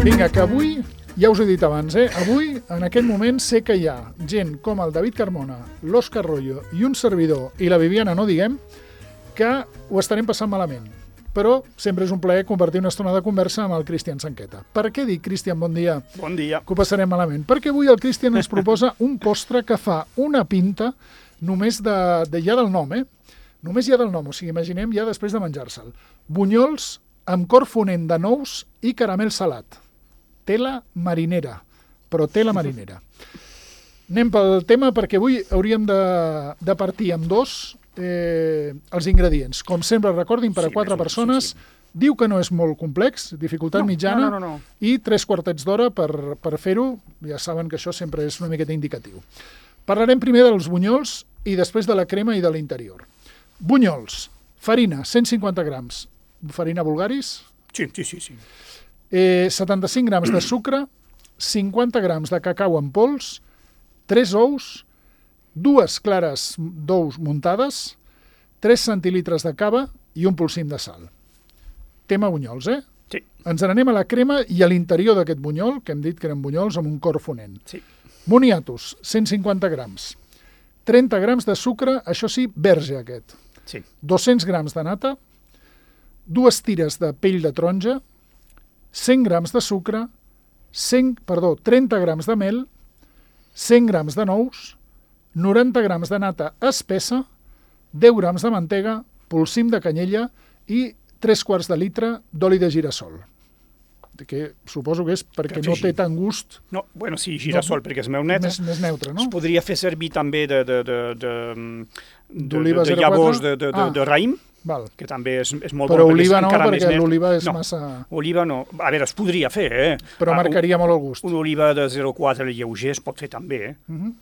Vinga, que avui, ja us he dit abans, avui, en aquest moment, sé que hi ha gent com el David Carmona, l'Òscar Royo i un servidor, i la Viviana no diguem, que ho estarem passant malament. Però sempre és un plaer compartir una estona de conversa amb el Cristian Sanqueta. Per què dic, Cristian, bon dia? Bon dia. Que ho passarem malament? Perquè avui el Cristian ens proposa un postre que fa una pinta només ja del nom, Només ja del nom, o sigui, imaginem ja després de menjar-se'l. Bunyols amb cor fonent de nous i caramel salat. Tela marinera, però tela marinera. Anem pel tema perquè avui hauríem de partir amb els ingredients. Com sempre, recordin, per a 4 persones, diu que no és molt complex, dificultat mitjana, i 3 quartets d'hora per fer-ho. Ja saben que això sempre és una miqueta indicatiu. Parlarem primer dels bunyols i després de la crema i de l'interior. Bunyols, farina, 150 grams. Farina Bulgaris? Sí. 75 grams de sucre, 50 grams de cacau en pols, 3 ous, 2 clares d'ous muntades, 3 centilitres de cava i un polsim de sal. Tema bunyols, Sí. Ens n'anem a la crema i a l'interior d'aquest bunyol, que hem dit que eren bunyols amb un cor fonent. Sí. Moniatos, 150 grams. 30 grams de sucre, això sí, verge aquest. Sí. 200 grams de nata, 2 tires de pell de taronja, 100 grams de sucre, 30 grams de mel, 100 grams de nous, 90 grams de nata espessa, 10 grams de mantega, polsim de canyella i 3 quarts de litre d'oli de girassol. Que suposo que és perquè no té tant gust. No, bueno, sí, girassol, perquè és més neutre, no? Es podria fer servir també d'oliva 04? llavors de raïm, Val. que també és molt però bon. Però oliva no, perquè l'oliva és massa... Oliva no. A veure, es podria fer, Però marcaria molt el gust. Una oliva de 0,4 lleuger es pot fer també,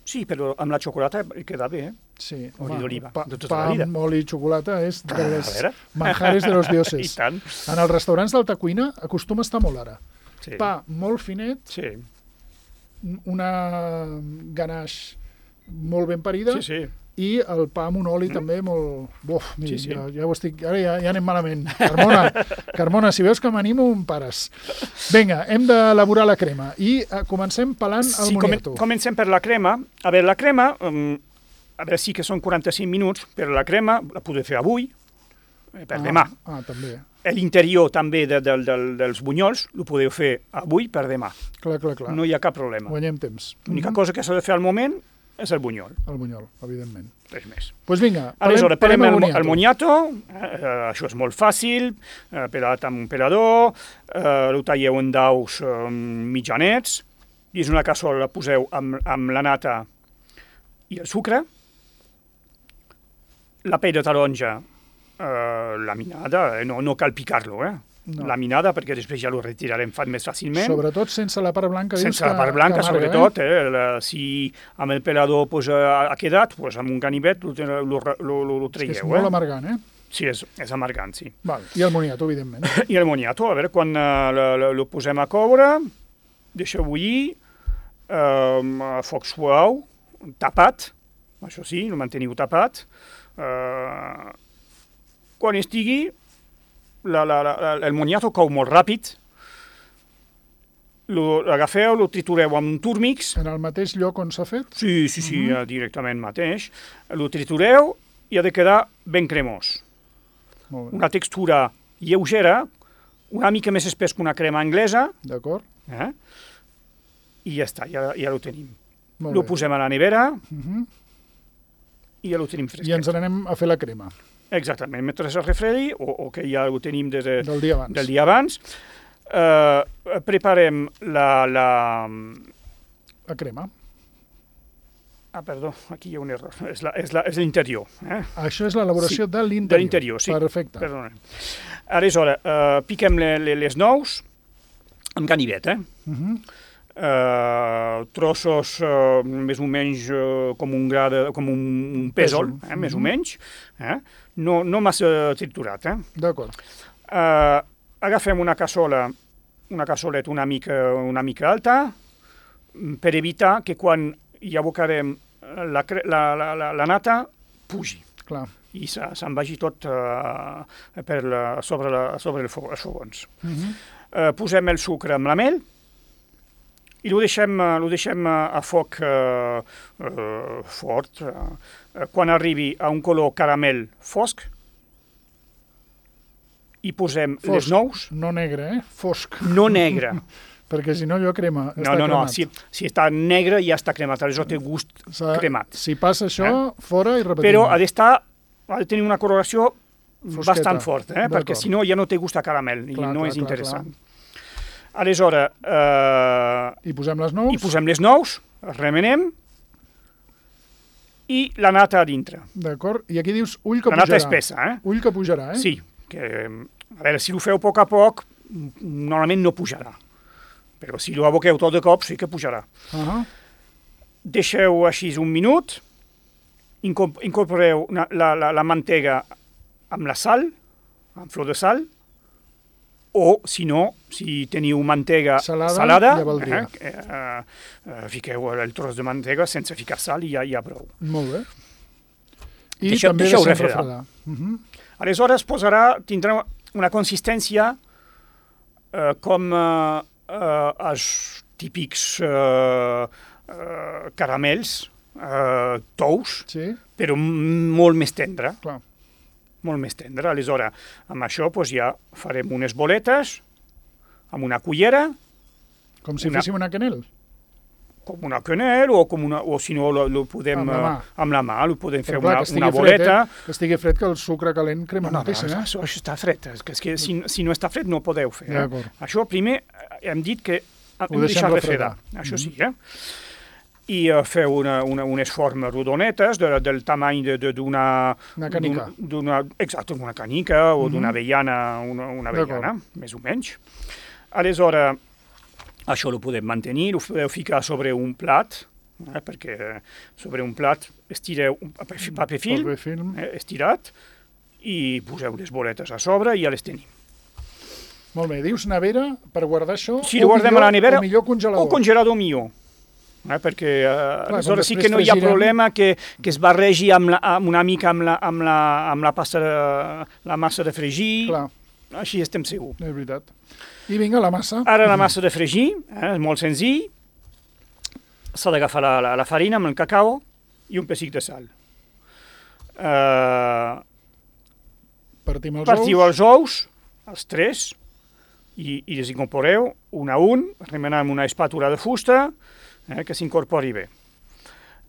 Sí, però amb la xocolata queda bé, Sí, oli d'oliva, de tota pa la vida. amb oli i xocolata és de les manjares de los dioses. I tant. En els restaurants d'alta cuina acostuma a estar molt ara. Sí. Pa molt finet, Sí. una ganache molt ben parida, Sí. i el pa amb un oli també molt... Uf, mira, Sí. ja ho estic... Ara ja anem malament. Carmona, si veus que m'animo, em pares. Vinga, hem d'elaborar la crema. I comencem pelant el moniato. Comencem per la crema. A veure, la crema, a veure, sí que són 45 minuts, però la crema la podeu fer avui, per demà. També. L'interior també dels bunyols ho podeu fer avui per demà. Clar. No hi ha cap problema. Guanyem temps. L'única cosa que s'ha de fer al moment és el bunyol. El bunyol, evidentment. Res més. Doncs vinga, aleshores, parlem el moniato. Això és molt fàcil, pelat amb un pelador, ho talleu en daus mitjanets, dins una cassola poseu amb la nata i el sucre, la pell de taronja laminada, no cal picar-lo, laminada, perquè després ja ho retirarem més fàcilment. Sobretot sense la part blanca. Sense la part blanca, sobretot. Si amb el pelador ha quedat, amb un ganivet lo traieu. És molt amargant, Sí, és amargant, sí. Val. I el moniato, evidentment. I el moniato, a veure, quan lo posem a coure, deixeu bullir, a foc suau, tapat, això sí, lo manteniu tapat. Quan estigui, el moniato cou molt ràpid, l'agafeu, lo tritureu amb un turmix. En el mateix lloc on s'ha fet? Sí, directament mateix. Lo tritureu i ha de quedar ben cremós. Una textura lleugera, una mica més espès que una crema anglesa. D'acord. I ja està, ja ho tenim. Lo posem a la nevera i ja lo tenim fresquet. I ens n'anem a fer la crema. Exactament, mentre es refredi, o que ja ho tenim del dia abans, preparem la crema. Perdó, aquí hi ha un error, és l'interior. Això és l'elaboració de l'interior. De l'interior, sí. Perfecte. Perdona. Aleshores, piquem les nous amb ganivet, trossos més o menys com un pèsol, més o menys, no massa triturat. D'acord. Agafem una cassoleta una mica alta per evitar que quan hi abocarem la nata pugi. Clar. i se'n vagi tot sobre els fogons. Posem el sucre amb la mel i ho deixem a foc fort. Quan arribi a un color caramel fosc, hi posem les nous. No negre, fosc. No negre. Perquè si no allò crema. No, si està negre ja està cremat, aleshores té gust cremat. Si passa això, fora i repetim. Però ha de tenir una coloració bastant forta, perquè si no ja no té gust a caramel i no és interessant. Aleshores... I posem les nous? I posem les nous, remenem, i la nata a dintre. D'acord, i aquí dius ull que pujarà. La nata espessa, Ull que pujarà, Sí, que, a veure, si ho feu a poc, normalment no pujarà. Però si ho aboqueu tot de cop, sí que pujarà. Deixeu així un minut, incorporeu la mantega amb la sal, amb flor de sal, o, si no, si teniu mantega salada, fiqueu el tros de mantega sense ficar sal i ja prou. Molt bé. I també deixeu refredar. Aleshores tindrà una consistència com els típics caramels tous, però molt més tendre. Clar. Molt més tendre. Aleshores, amb això ja farem unes boletes amb una cullera. Com si féssim una quenel? Com una quenel, o si no, ho podem amb la mà, ho podem fer una boleta. Que estigui fred, que el sucre calent crema moltíssim. Això està fred. Si no està fred no podeu fer. Això primer hem dit que hem de deixar refredar. Això sí, i feu unes formes rodonetes del tamany d'una canica. Exacte, d'una canica o d'una avellana, una avellana, més o menys. Aleshores, això ho podem mantenir, ho podeu ficar sobre un plat, perquè sobre un plat estireu un paper film estirat i poseu les boletes a sobre i ja les tenim. Molt bé, dius nevera per guardar això, o guardem a la nevera, o millor congelador. O congelador millor. Perquè aleshores sí que no hi ha problema que es barregi una mica amb la massa de fregir. Així estem segurs. És veritat. I vinga, la massa. Ara la massa de fregir, és molt senzill. S'ha d'agafar la farina amb el cacau i un pessic de sal. Partiu els ous, els tres, i les incorporeu un a un, remenant amb una espàtula de fusta, que s'incorpori bé.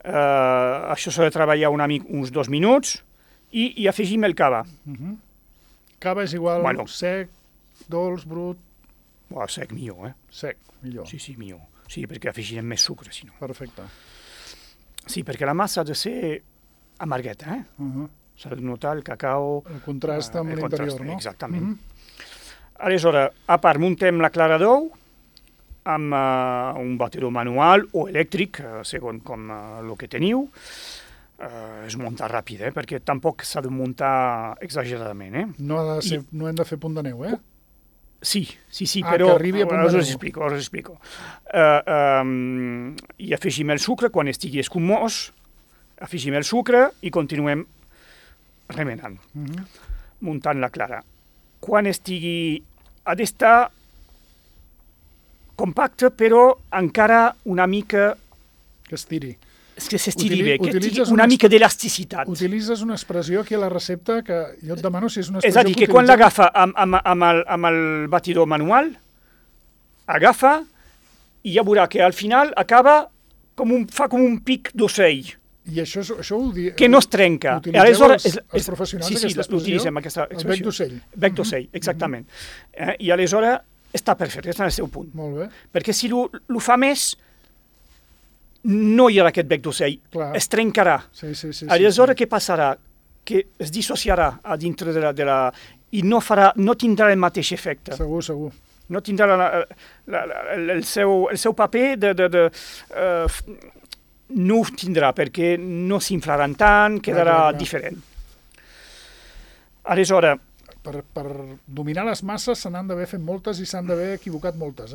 Això s'ha de treballar uns 2 minuts i afegim el cava. Cava és igual sec, dolç, brut? Sec millor, Sec, millor. Sí, millor. Sí, perquè afegirem més sucre, si no. Perfecte. Sí, perquè la massa ha de ser amargueta, S'ha de notar el cacau... El contrast amb l'interior, no? Exactament. Aleshores, a part, muntem la clara d'ou amb un batedor manual o elèctric, segons com el que teniu. Es munta ràpid, perquè tampoc s'ha de muntar exageradament. No hem de fer punt de neu, Sí, però us explico. I afegim el sucre, quan estigui escumós, afegim el sucre i continuem remenant, muntant la clara. Quan ha d'estar compacte, però encara una mica... Que estiri. Que s'estiri bé, que tingui una mica d'elasticitat. Utilitzes una expressió aquí a la recepta que jo et demano si és una expressió... És a dir, que quan l'agafa amb el batidor manual, agafa i ja veurà que al final fa com un pic d'ocell. I això ho diu... Que no es trenca. Utilitzeu els professionals aquesta expressió? Sí, l'utilitzem aquesta expressió. El bec d'ocell. Bec d'ocell, exactament. I aleshores està perfecte, està en el seu punt. Molt bé. Perquè si ho fa més, no hi haurà aquest bec d'ocell. Es trencarà. Aleshores, què passarà? Que es dissociarà a dintre de la... I no tindrà el mateix efecte. Segur. No tindrà el seu paper no ho tindrà perquè no s'inflaran tant, quedarà diferent. Aleshores... Per dominar les masses se n'han d'haver fet moltes i s'han d'haver equivocat moltes,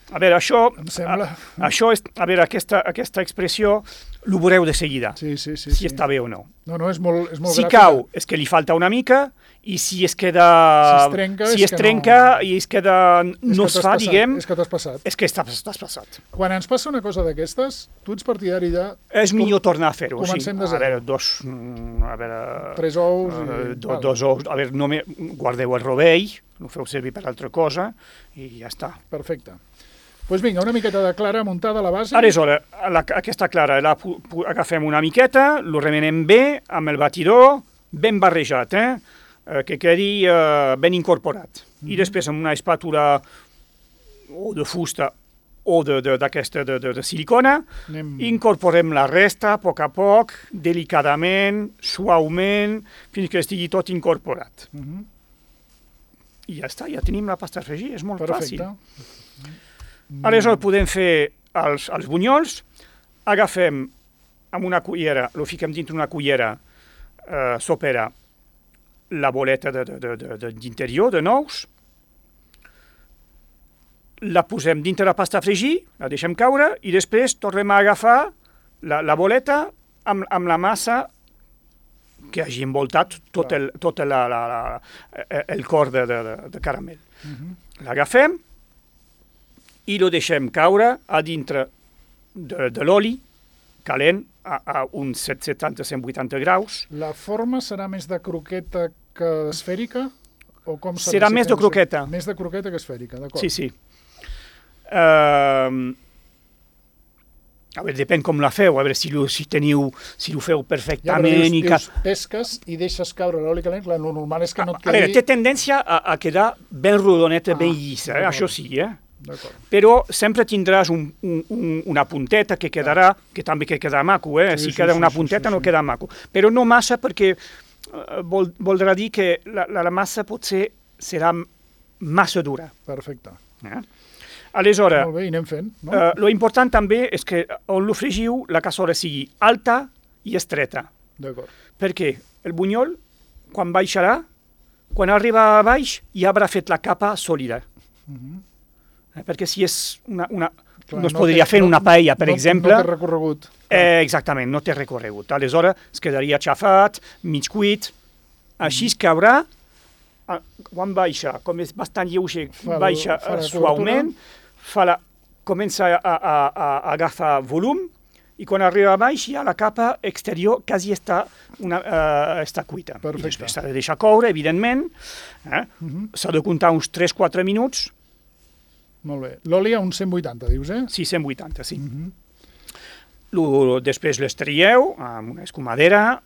A veure, això... Em sembla. Això és, a veure, aquesta expressió l'ho veureu de seguida, Sí. si està bé o no. No, és molt Si gràfica. cau, és que li falta una mica, i si es queda... Si es trenca, i es queda... no es fa, diguem, És que t'has passat. és que t'has passat. Quan ens passa una cosa d'aquestes, tu ets partidari de... És millor tornar a fer-ho, sí. Comencem de A zero. veure, 3 ous i... dos ous, a veure, només guardeu el rovell, no feu servir per altra cosa, i ja està. Perfecte. Doncs vinga, una miqueta de clara muntada a la base. Aleshores, aquesta clara agafem una miqueta, lo remenem bé amb el batidor, ben barrejat, que quedi ben incorporat. I després amb una espàtula o de fusta o d'aquesta de silicona, incorporem la resta a poc, delicadament, suaument, fins que estigui tot incorporat. I ja està, ja tenim la pasta a fregir, és molt fàcil. Aleshores podem fer els bunyols, agafem amb una cullera, lo fiquem dintre una cullera sopera la boleta d'interior de nous, la posem dintre la pasta a fregir, la deixem caure i després tornem a agafar la boleta amb la massa que hagi envoltat tot el cor de caramel. L'agafem i lo deixem caure a dintre de l'oli calent a uns 170-180 graus. La forma serà més de croqueta que esfèrica? O com serà més de croqueta. Més de croqueta que esfèrica, d'acord. Sí. A veure, depèn com la feu, a veure si ho feu perfectament. Dius, pesques i deixes caure l'oli calent, clar, el normal és que no et quedi... A veure, té tendència a quedar ben rodoneta, ben llisa, això sí, Però sempre tindràs una punteta que quedarà, que també quedarà maco, si queda una punteta no queda maco. Però no massa perquè voldrà dir que la massa potser serà massa dura. Perfecte. Aleshores, molt bé, i anem fent, no? Lo important també és que on lo fregiu la cassola sigui alta i estreta. D'acord. Perquè el bunyol, quan baixarà, quan arriba a baix, ja haurà fet la capa sòlida. Perquè si és no es podria fer una paella, per exemple... No té recorregut. Exactament, no té recorregut. Aleshores es quedaria xafat, mig cuit, així es caurà, quan baixa, com és bastant lleuger, baixa suaument, comença a agafar volum, i quan arriba a baix ja la capa exterior quasi està cuita. I després s'ha de deixar coure, evidentment, s'ha de comptar uns 3-4 minuts. Molt bé. L'oli a uns 180, dius, Sí, 180, sí. Després l'estrieu amb una escumadera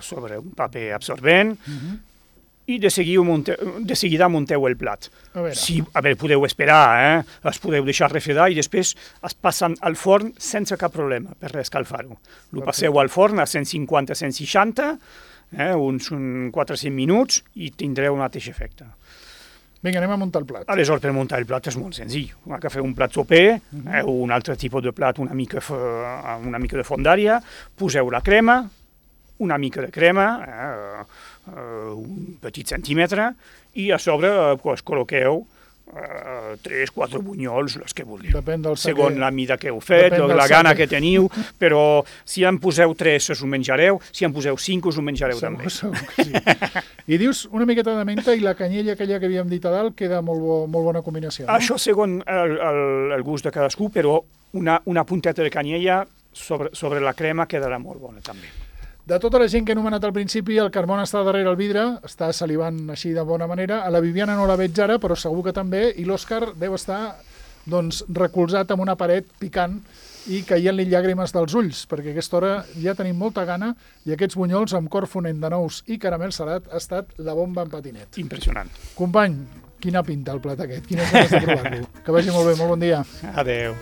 sobre un paper absorbent i de seguida munteu el plat. A veure, podeu esperar, es podeu deixar refredar i després es passen al forn sense cap problema per reescalfar-ho. Lo passeu al forn a 150-160, uns 400 minuts i tindreu un mateix efecte. Vinga, anem a muntar el plat. Aleshores, per muntar el plat és molt senzill. Agafeu un plat soper, o un altre tipus de plat, una mica de fondària, poseu la crema, una mica de crema, un petit centímetre, i a sobre col·loqueu 3-4 bunyols, els que vulgueu. Depèn del segons la mida que heu fet, la gana que teniu, però si en poseu 3 us ho menjareu, si en poseu 5 us ho menjareu també. Segur que sí. I dius una miqueta de menta i la canyella aquella que havíem dit a dalt queda molt bona combinació, no? Això segons el gust de cadascú, però una punteta de canyella sobre la crema quedarà molt bona també. De tota la gent que he anomenat al principi, el Carmona està darrere el vidre, està salivant així de bona manera. A la Viviana no la veig ara, però segur que també. I l'Òscar deu estar recolzat amb una paret picant i caient-li llàgrimes dels ulls, perquè a aquesta hora ja tenim molta gana i aquests bunyols amb cor fonent de nous i caramel salat ha estat la bomba en patinet. Impressionant. Company, quina pinta el plat aquest, quines ganes de provar-lo. Que vagi molt bé, molt bon dia. Adéu.